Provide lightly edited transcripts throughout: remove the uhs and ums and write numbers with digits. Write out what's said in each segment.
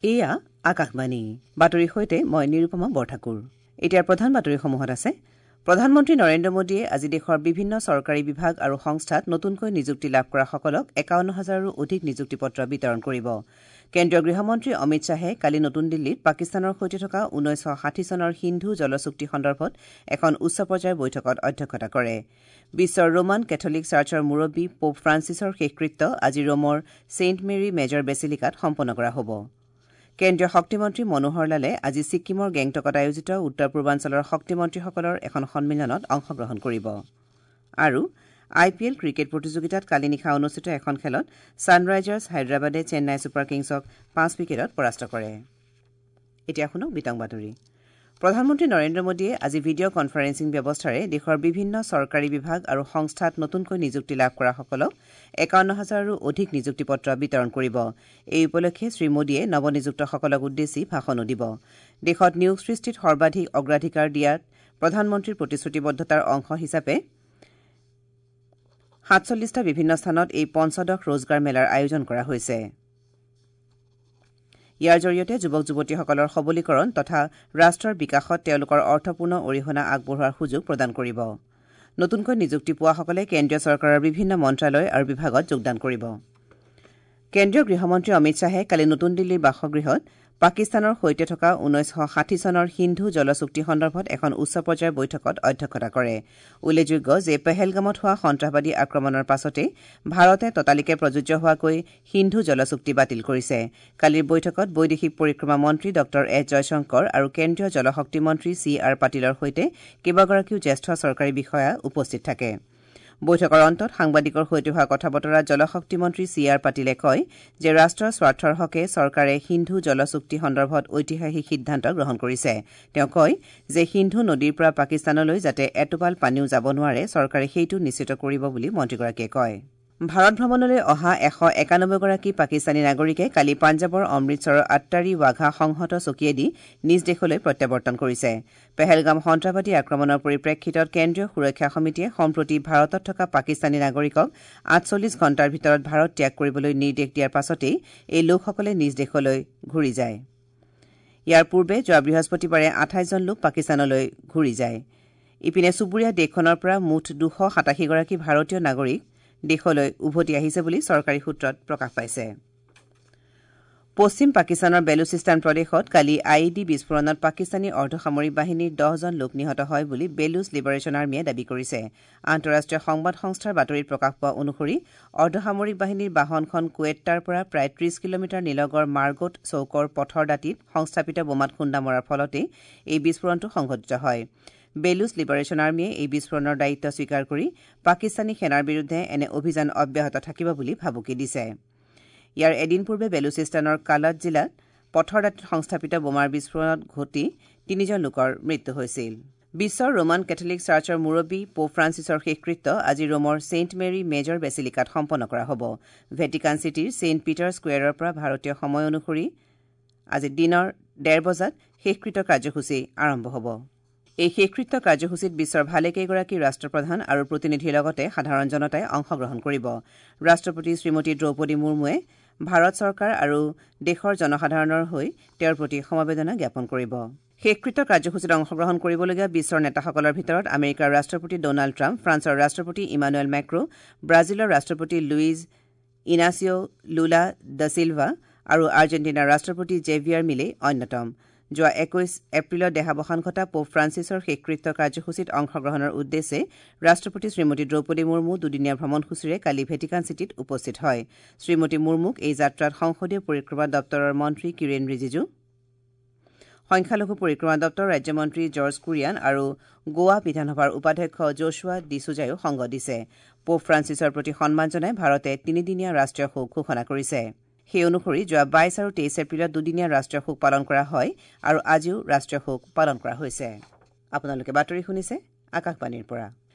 এয়া আকাশবাণী বাতৰিৰ সৈতে মই নিৰুপমা বৰঠাকুৰ। এতিয়াৰ প্ৰধান বাতৰিসমূহত আছে প্ৰধানমন্ত্ৰী নৰেন্দ্ৰ মোদীয়ে আজি দেশৰ বিভিন্ন চৰকাৰী বিভাগ আৰু সংস্থাত নতুনকৈ নিযুক্তি লাভ কৰাসকলক ৫১ হাজাৰৰো অধিক নিযুক্তি পত্ৰ বিতৰণ কৰিব। কেন্দ্ৰীয় গৃহমন্ত্ৰী অমিত শ্বাহে কালি নতুন দিল্লীত পাকিস্তানৰ সৈতে থকা ১৯৬০ চনৰ সিন্ধু জল চুক্তি সন্দৰ্ভত এখন উচ্চ পৰ্যায়ৰ বৈঠকত অধ্যক্ষতা কৰে। বিশ্বৰ ৰোমান কেথলিক চাৰ্চৰ মুৰব্বী পোপ ফ্ৰান্সিছৰ শেষকৃত্য আজি ৰোমৰ ছেইণ্ট মেৰী মেজৰ বেচিলিকাত সম্পন্ন কৰা হ'ব। কেন্দ্ৰীয় শক্তিমন্ত্ৰী মনোহৰ লালে আজি ছিক্কিমৰ গেংটকত আয়োজিত উত্তৰ পূৰ্বাঞ্চলৰ শক্তিমন্ত্ৰীসকলৰ এখন সন্মিলনত অংশগ্ৰহণ কৰিব। আৰু আই পি এল ক্ৰিকেট প্ৰতিযোগিতাত কালি নিশা অনুষ্ঠিত এখন খেলত ছানৰাইজাৰ্ছ হায়দৰাবাদে চেন্নাই ছুপাৰ কিংছক ৫ উইকেটত পৰাস্ত কৰে। এতিয়া শুনক বিতং বাতৰি। প্ৰধানমন্ত্ৰী নৰেন্দ্ৰ মোদীয়ে আজি ভিডিঅ' কনফাৰেন্সিং ব্যৱস্থাৰে দেশৰ বিভিন্ন চৰকাৰী বিভাগ আৰু সংস্থাত নতুনকৈ নিযুক্তি লাভ কৰাসকলক ৫১ হাজাৰৰো অধিক নিযুক্তি পত্ৰ বিতৰণ কৰিব। এই উপলক্ষে শ্ৰীমোদীয়ে নৱনিযুক্তসকলক উদ্দেশ্যি ভাষণো দিব। দেশত নিয়োগ সৃষ্টিত সৰ্বাধিক অগ্ৰাধিকাৰ দিয়াত প্ৰধানমন্ত্ৰীৰ প্ৰতিশ্ৰুতিবদ্ধতাৰ অংশ হিচাপে ৪৭টা বিভিন্ন স্থানত এই পঞ্চদশ ৰোজগাৰ মেলাৰ আয়োজন কৰা হৈছে। ইয়াৰ জৰিয়তে যুৱক যুৱতীসকলৰ সবলীকৰণ তথা ৰাষ্ট্ৰৰ বিকাশত তেওঁলোকৰ অৰ্থপূৰ্ণ অৰিহণা আগবঢ়োৱাৰ সুযোগ প্ৰদান কৰিব। নতুনকৈ নিযুক্তি পোৱাসকলে কেন্দ্ৰীয় চৰকাৰৰ বিভিন্ন মন্ত্ৰালয় আৰু বিভাগত যোগদান কৰিব। কেন্দ্ৰীয় গৃহমন্ত্ৰী অমিত শ্বাহে কালি নতুন দিল্লীৰ বাসগৃহত পাকিস্তানৰ সৈতে থকা ১৯৬০ চনৰ সিন্ধু জল চুক্তি সন্দৰ্ভত এখন উচ্চ পৰ্যায়ৰ বৈঠকত অধ্যক্ষতা কৰে। উল্লেখযোগ্য যে পেহেলগামত হোৱা সন্ত্ৰাসবাদী আক্ৰমণৰ পাছতে ভাৰতে ততালিকে প্ৰযোজ্য হোৱাকৈ সিন্ধু জল চুক্তি বাতিল কৰিছে। কালিৰ বৈঠকত বৈদেশিক পৰিক্ৰমা মন্ত্ৰী ডঃ এছ জয়শংকৰ আৰু কেন্দ্ৰীয় জলশক্তি মন্ত্ৰী চি আৰ পাটিলৰ সৈতে কেইবাগৰাকীও জ্যেষ্ঠ চৰকাৰী বিষয়া উপস্থিত থাকে। বৈঠকৰ অন্তত সাংবাদিকৰ সৈতে হোৱা কথা বতৰাত জলশক্তি মন্ত্ৰী চি আৰ পাটিলে কয় যে ৰাষ্ট্ৰৰ স্বাৰ্থৰ হকে চৰকাৰে সিন্ধু জল চুক্তি সন্দৰ্ভত ঐতিহাসিক সিদ্ধান্ত গ্ৰহণ কৰিছে। তেওঁ কয় যে সিন্ধু নদীৰ পৰা পাকিস্তানলৈ যাতে এটোপাল পানীও যাব নোৱাৰে চৰকাৰে সেইটো নিশ্চিত কৰিব বুলি মন্ত্ৰীগৰাকীয়ে কয়। ভাৰত ভ্ৰমণলৈ অহা ১৯১ গৰাকী পাকিস্তানী নাগৰিকে কালি পাঞ্জাৱৰ অমৃতসৰৰ আট্টাৰী ৱাঘা সংহত চকীয়েদি নিজ দেশলৈ প্ৰত্যাৱৰ্তন কৰিছে। পেহেলগাম সন্ত্ৰাসবাদী আক্ৰমণৰ পৰিপ্ৰেক্ষিতত কেন্দ্ৰীয় সুৰক্ষা সমিতিয়ে সম্প্ৰতি ভাৰতত থকা পাকিস্তানী নাগৰিকক ৪৮ ঘণ্টাৰ ভিতৰত ভাৰত ত্যাগ কৰিবলৈ নিৰ্দেশ দিয়াৰ পাছতেই এই লোকসকলে নিজ দেশলৈ ঘূৰি যায়। ইয়াৰ পূৰ্বে যোৱা বৃহস্পতিবাৰে ২৮জন লোক পাকিস্তানলৈ ঘূৰি যায়। ইপিনে চুবুৰীয়া দেশখনৰ পৰা মুঠ ২৮৭ গৰাকী ভাৰতীয় নাগৰিক দেশলৈ উভতি আহিছে বুলি চৰকাৰী সূত্ৰত প্ৰকাশ পাইছে। পশ্চিম পাকিস্তানৰ বেলুচিস্তান প্ৰদেশত কালি I E D বিস্ফোৰণত পাকিস্তানী অৰ্ধসামৰিক বাহিনীৰ ১০জন লোক নিহত হয় বুলি বেলুচ লিবাৰেশ্যন আৰ্মীয়ে দাবী কৰিছে। আন্তঃৰাষ্ট্ৰীয় সংবাদ সংস্থাৰ বাতৰিত প্ৰকাশ পোৱা অনুসৰি অৰ্ধসামৰিক বাহিনীৰ বাহনখন কুৱেট্টাৰ পৰা প্ৰায় ৩০ কিলোমিটাৰ নিলগৰ মাৰ্গোট চৌকৰ পথৰ দাঁতিত সংস্থাপিত বোমাত খুন্দা মৰাৰ ফলতেই এই বিস্ফোৰণটো সংঘটিত হয়। বেলুচ লিবাৰেশ্যন আৰ্মীয়ে এই বিস্ফোৰণৰ দায়িত্ব স্বীকাৰ কৰি পাকিস্তানী সেনাৰ বিৰুদ্ধে এনে অভিযান অব্যাহত থাকিব বুলি ভাবুকি দিছে। ইয়াৰ এদিন পূৰ্বে বেলুচিস্তানৰ কালাত জিলাত পথৰ দাঁতিত সংস্থাপিত বোমাৰ বিস্ফোৰণত ঘটি তিনিজন লোকৰ মৃত্যু হৈছিল। বিশ্বৰ ৰোমান কেথলিক চাৰ্চৰ মুৰব্বী পোপ ফ্ৰান্সিছৰ শেষকৃত্য আজি ৰোমৰ ছেইণ্ট মেৰী মেজৰ বেচিলিকাত সম্পন্ন কৰা হ'ব। ভেটিকান চিটিৰ ছেইণ্ট পিটাৰ স্কুৱেৰৰ পৰা ভাৰতীয় সময় অনুসৰি আজি দিনৰ ১:৩০ বজাত শেষকৃত্য কাৰ্যসূচী আৰম্ভ হ'ব। এই শেষকৃত্য কাৰ্যসূচীত বিশ্বৰ ভালেকেইগৰাকী ৰাষ্ট্ৰপ্ৰধান আৰু প্ৰতিনিধিৰ লগতে সাধাৰণ জনতাই অংশগ্ৰহণ কৰিব। ৰাষ্ট্ৰপতি শ্ৰীমতী দ্ৰৌপদী মুৰ্মুৱে ভাৰত চৰকাৰ আৰু দেশৰ জনসাধাৰণৰ হৈ তেওঁৰ প্ৰতি সমবেদনা জ্ঞাপন কৰিব। শেষকৃত্য কাৰ্যসূচীত অংশগ্ৰহণ কৰিবলগীয়া বিশ্বৰ নেতাসকলৰ ভিতৰত আমেৰিকাৰ ৰাষ্ট্ৰপতি ডনাল্ড ট্ৰাম্প, ফ্ৰান্সৰ ৰাষ্ট্ৰপতি ইমানুৱেল মেক্ৰ, ব্ৰাজিলৰ ৰাষ্ট্ৰপতি Luiz Inacio Lula the Silva আৰু আৰ্জেণ্টিনাৰ ৰাষ্ট্ৰপতি জেভিয়াৰ মিলে অন্যতম। যোৱা ২১ এপ্ৰিলত দেহাৱসান ঘটা পোপ ফ্ৰান্সিছৰ শেষকৃত্য কাৰ্যসূচীত অংশগ্ৰহণৰ উদ্দেশ্যে ৰাষ্ট্ৰপতি শ্ৰীমতী দ্ৰৌপদী মুৰ্মু দুদিনীয়া ভ্ৰমণসূচীৰে কালি ভেটিকান চিটিত উপস্থিত হয়। শ্ৰীমতী মুৰ্মুক এই যাত্ৰাত সংসদীয় পৰিক্ৰমা দপ্তৰৰ মন্ত্ৰী কিৰেণ ৰিজিজু, সংখ্যালঘু পৰিক্ৰমা দপ্তৰৰ ৰাজ্যমন্ত্ৰী জৰ্জ কুৰিয়ান আৰু গোৱা বিধানসভাৰ উপাধ্যক্ষ জোছুৱা ডিছুজায়ো সংগ দিছে। পোপ ফ্ৰান্সিছৰ প্ৰতি সন্মান জনাই ভাৰতে তিনিদিনীয়া ৰাষ্ট্ৰীয় শোক ঘোষণা কৰিছে। সেই অনুসৰি যোৱা ২২ আৰু ২৩ এপ্ৰিলত দুদিনীয়া ৰাষ্ট্ৰীয় শোক পালন কৰা হয় আৰু আজিও ৰাষ্ট্ৰীয় শোক পালন কৰা হৈছে। আপোনালোকে বাতৰি শুনিছে আকাশবাণীৰ পৰা।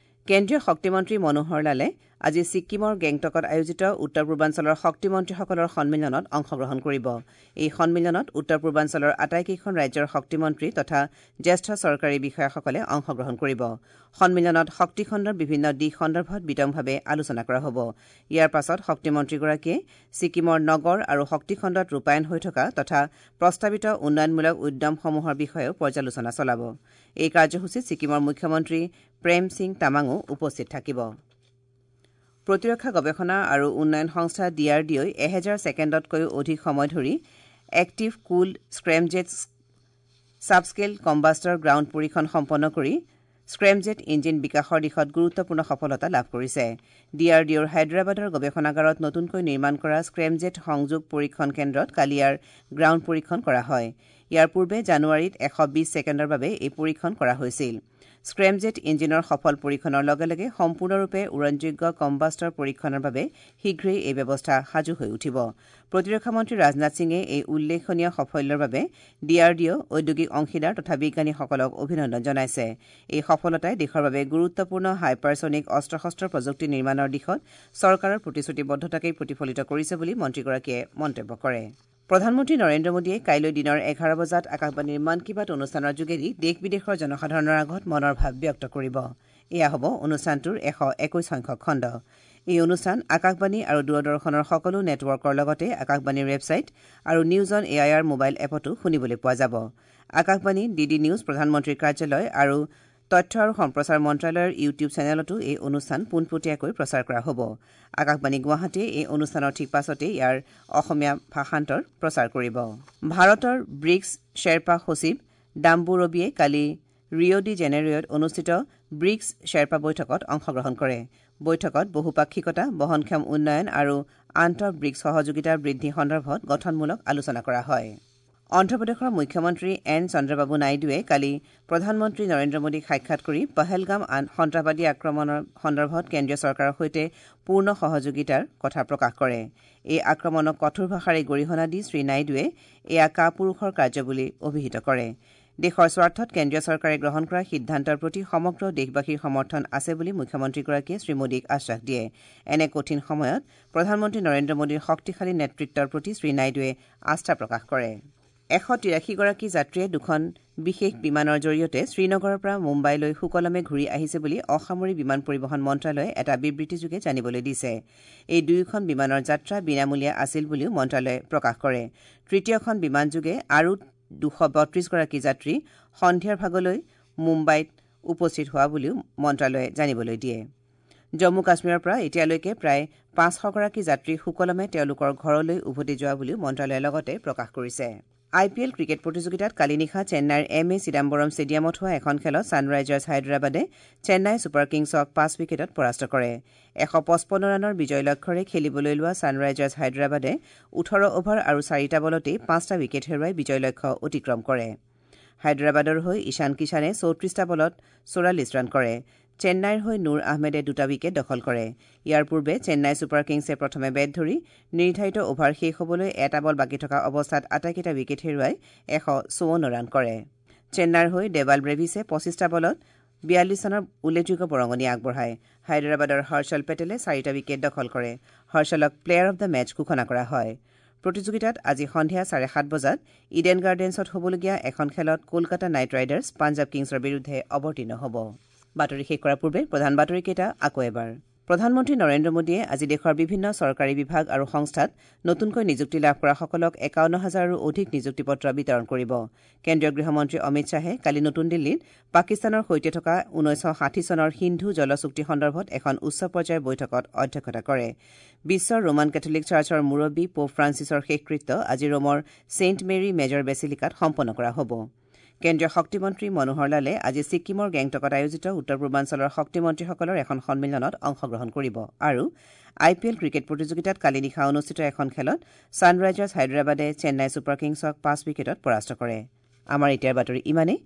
কেন্দ্ৰীয় শক্তিমন্ত্ৰী মনোহৰ লালে আজি ছিক্কিমৰ গেংটকত আয়োজিত উত্তৰ পূৰ্বাঞ্চলৰ শক্তিমন্ত্ৰীসকলৰ সন্মিলনত অংশগ্ৰহণ কৰিব। এই সন্মিলনত উত্তৰ পূৰ্বাঞ্চলৰ আটাইকেইখন ৰাজ্যৰ শক্তিমন্ত্ৰী তথা জ্যেষ্ঠ চৰকাৰী বিষয়াসকলে অংশগ্ৰহণ কৰিব। সন্মিলনত শক্তিখণ্ডৰ বিভিন্ন দিশ সন্দৰ্ভত বিতংভাৱে আলোচনা কৰা হ'ব। ইয়াৰ পাছত শক্তিমন্ত্ৰীগৰাকীয়ে ছিক্কিমৰ নগৰ আৰু শক্তিখণ্ডত ৰূপায়ণ হৈ থকা তথা প্ৰস্তাৱিত উন্নয়নমূলক উদ্যমসমূহৰ বিষয়েও পৰ্যালোচনা চলাব। এই কাৰ্যসূচীত ছিক্কিমৰ মুখ্যমন্ত্ৰী প্ৰেম সিং তামাঙো উপস্থিত থাকিব। প্ৰতিৰক্ষা গৱেষণা আৰু উন্নয়ন সংস্থা ডি আৰ ডি অ'ই 1000 ছেকেণ্ডতকৈও অধিক সময় ধৰি active cooled scramjet subscale combustor ground পৰীক্ষণ সম্পন্ন কৰি স্ক্ৰেমজেট ইঞ্জিন বিকাশৰ দিশত গুৰুত্বপূৰ্ণ সফলতা লাভ কৰিছে। ডি আৰ ডি অ'ৰ হায়দৰাবাদৰ গৱেষণাগাৰত নতুনকৈ নিৰ্মাণ কৰা স্ক্ৰেমজেট সংযোগ পৰীক্ষণ কেন্দ্ৰত কালি ইয়াৰ গ্ৰাউণ্ড পৰীক্ষণ কৰা হয়। ইয়াৰ পূৰ্বে জানুৱাৰীত 120 ছেকেণ্ডৰ বাবে এই পৰীক্ষণ কৰা হৈছিল। স্ক্ৰেমজেট ইঞ্জিনৰ সফল পৰীক্ষণৰ লগে লগে সম্পূৰ্ণৰূপে উৰণযোগ্য কম্বাষ্টৰ পৰীক্ষণৰ বাবে শীঘ্ৰেই এই ব্যৱস্থা সাজু হৈ উঠিব। প্ৰতিৰক্ষা মন্ত্ৰী ৰাজনাথ সিঙে এই উল্লেখনীয় সাফল্যৰ বাবে ডি আৰ ডি অ', ঔদ্যোগিক অংশীদাৰ তথা বিজ্ঞানীসকলক অভিনন্দন জনাইছে। এই সফলতাই দেশৰ বাবে গুৰুত্বপূৰ্ণ হাইপাৰছনিক অস্ত্ৰ শস্ত্ৰ প্ৰযুক্তি নিৰ্মাণৰ দিশত চৰকাৰৰ প্ৰতিশ্ৰুতিবদ্ধতাকেই প্ৰতিফলিত কৰিছে বুলি মন্ত্ৰীগৰাকীয়ে মন্তব্য কৰে। প্ৰধানমন্ত্ৰী নৰেন্দ্ৰ মোদীয়ে কাইলৈ দিনৰ 11 বজাত আকাশবাণীৰ মন কী বাত অনুষ্ঠানৰ যোগেদি দেশ বিদেশৰ জনসাধাৰণৰ আগত মনৰ ভাৱ ব্যক্ত কৰিব। এয়া হ'ব অনুষ্ঠানটোৰ 121 সংখ্যক খণ্ড। এই অনুষ্ঠান আকাশবাণী আৰু দূৰদৰ্শনৰ সকলো নেটৱৰ্কৰ লগতে আকাশবাণীৰ ৱেবছাইট আৰু news on A I R mobile এপতো শুনিবলৈ পোৱা যাব। আকাশবাণী, ডি ডি নিউজ, প্ৰধানমন্ত্ৰীৰ কাৰ্যালয় আৰু তথ্য আৰু সম্প্ৰচাৰ মন্ত্ৰালয়ৰ ইউটিউব চেনেলতো এই অনুষ্ঠান পোনপটীয়াকৈ প্ৰচাৰ কৰা হ'ব। আকাশবাণী গুৱাহাটীয়ে এই অনুষ্ঠানৰ ঠিক পাছতেই ইয়াৰ অসমীয়া ভাষান্তৰ প্ৰচাৰ কৰিব। ভাৰতৰ ব্ৰিক্স শ্বেৰপা সচিব ডাম্বু ৰবিয়ে কালি ৰিঅ' ডি জেনেৰিঅ'ত অনুষ্ঠিত ব্ৰিক্স শ্বেৰপা বৈঠকত অংশগ্ৰহণ কৰে। বৈঠকত বহুপাক্ষিকতা, বহনক্ষম উন্নয়ন আৰু আন্তঃ ব্ৰিক্স সহযোগিতা বৃদ্ধি সন্দৰ্ভত গঠনমূলক আলোচনা কৰা হয়। অন্ধ্ৰপ্ৰদেশৰ মুখ্যমন্ত্ৰী এন চন্দ্ৰবাবু নাইডুৱে কালি প্ৰধানমন্ত্ৰী নৰেন্দ্ৰ মোদীক সাক্ষাৎ কৰি পহলগাম সন্ত্ৰাসবাদী আক্ৰমণৰ সন্দৰ্ভত কেন্দ্ৰীয় চৰকাৰৰ সৈতে পূৰ্ণ সহযোগিতাৰ কথা প্ৰকাশ কৰে। এই আক্ৰমণক কঠোৰ ভাষাৰে গৰিহণা দি শ্ৰীনাইডুৱে এয়া কাপুৰুষৰ কাৰ্য বুলি অভিহিত কৰে। দেশৰ স্বাৰ্থত কেন্দ্ৰীয় চৰকাৰে গ্ৰহণ কৰা সিদ্ধান্তৰ প্ৰতি সমগ্ৰ দেশবাসীৰ সমৰ্থন আছে বুলি মুখ্যমন্ত্ৰীগৰাকীয়ে শ্ৰীমোদীক আশ্বাস দিয়ে। এনে কঠিন সময়ত প্ৰধানমন্ত্ৰী নৰেন্দ্ৰ মোদীৰ শক্তিশালী নেতৃত্বৰ প্ৰতি শ্ৰীনাইডুৱে আস্থা প্ৰকাশ কৰে। 183গৰাকী যাত্ৰীয়ে দুখন বিশেষ বিমানৰ জৰিয়তে শ্ৰীনগৰৰ পৰা মুম্বাইলৈ সুকলমে ঘূৰি আহিছে বুলি অসামৰিক বিমান পৰিবহণ মন্ত্ৰালয়ে এটা বিবৃতিযোগে জানিবলৈ দিছে। এই দুয়োখন বিমানৰ যাত্ৰা বিনামূলীয়া আছিল বুলিও মন্ত্ৰালয়ে প্ৰকাশ কৰে। তৃতীয়খন বিমানযোগে আৰু 232গৰাকী যাত্ৰী সন্ধিয়াৰ ভাগলৈ মুম্বাইত উপস্থিত হোৱা বুলিও মন্ত্ৰালয়ে জানিবলৈ দিয়ে। জম্মু কাশ্মীৰৰ পৰা এতিয়ালৈকে প্ৰায় 500গৰাকী যাত্ৰী সুকলমে তেওঁলোকৰ ঘৰলৈ উভতি যোৱা বুলিও মন্ত্ৰালয়ে লগতে প্ৰকাশ কৰিছে। আই পি এল ক্ৰিকেট প্ৰতিযোগিতাত কালি নিশা চেন্নাইৰ এম এ চিদাম্বৰম ষ্টেডিয়ামত হোৱা এখন খেলত ছানৰাইজাৰ্ছ হায়দৰাবাদে চেন্নাই ছুপাৰ কিংছক 5 উইকেটত পৰাস্ত কৰে। 155 ৰানৰ বিজয় লক্ষ্যৰে খেলিবলৈ লোৱা ছানৰাইজাৰ্ছ হায়দৰাবাদে 18 অভাৰ আৰু 4টা বলতেই 5টা উইকেট হেৰুৱাই বিজয় লক্ষ্য অতিক্ৰম কৰে। হায়দৰাবাদৰ হৈ ঈশান কিষাণে 34টা বলত 44 ৰান কৰে। চেন্নাইৰ হৈ নুৰ আহমেদে 2টা উইকেট দখল কৰে। ইয়াৰ পূৰ্বে চেন্নাই ছুপাৰ কিংছে প্ৰথমে বেট ধৰি নিৰ্ধাৰিত অভাৰ শেষ হ'বলৈ এটা বল বাকী থকা অৱস্থাত আটাইকেইটা উইকেট হেৰুৱাই 154 ৰান কৰে। চেন্নাইৰ হৈ দেৱাল ব্ৰেভিছে 25টা বলত 42 ৰানৰ উল্লেখযোগ্য বৰঙণি আগবঢ়ায়। হায়দৰাবাদৰ হৰ্ষল পেটেলে 4টা উইকেট দখল কৰে। হৰ্ষলক প্লেয়াৰ অব the match ঘোষণা কৰা হয়। প্ৰতিযোগিতাত আজি সন্ধিয়া 7:30 বজাত ইডেন গাৰ্ডেন্সত হ'বলগীয়া এখন খেলত কলকাতা নাইট ৰাইডাৰ্ছ পাঞ্জাৱ কিংছৰ বিৰুদ্ধে অৱতীৰ্ণ হ'ব। বাতৰি শেষ কৰাৰ পূৰ্বে প্ৰধান বাতৰিকেইটা আকৌ এবাৰ। প্ৰধানমন্ত্ৰী নৰেন্দ্ৰ মোদীয়ে আজি দেশৰ বিভিন্ন চৰকাৰী বিভাগ আৰু সংস্থাত নতুনকৈ নিযুক্তি লাভ কৰাসকলক 51,000ৰো অধিক নিযুক্তি পত্ৰ বিতৰণ কৰিব। কেন্দ্ৰীয় গৃহমন্ত্ৰী অমিত শ্বাহে কালি নতুন দিল্লীত পাকিস্তানৰ সৈতে থকা 1960 চনৰ সিন্ধু জল চুক্তি সন্দৰ্ভত এখন উচ্চ পৰ্যায়ৰ বৈঠকত অধ্যক্ষতা কৰে। বিশ্বৰ ৰোমান কেথলিক চাৰ্চৰ মুৰব্বী পোপ ফ্ৰান্সিছৰ শেষকৃত্য আজি ৰোমৰ ছেইণ্ট মেৰী মেজৰ বেচিলিকাত সম্পন্ন কৰা হ'ব। কেন্দ্ৰীয় শক্তিমন্ত্ৰী মনোহৰ লালে আজি ছিক্কিমৰ গেংটকত আয়োজিত উত্তৰ পূৰ্বাঞ্চলৰ শক্তিমন্ত্ৰীসকলৰ এখন সন্মিলনত অংশগ্ৰহণ কৰিব। আৰু আই পি এল ক্ৰিকেট প্ৰতিযোগিতাত কালি নিশা অনুষ্ঠিত এখন খেলত ছানৰাইজাৰ্ছ হায়দৰাবাদে চেন্নাই ছুপাৰ কিংছক 5 উইকেটত পৰাস্ত কৰে। আমাৰ এতিয়াৰ বাতৰি ইমানেই।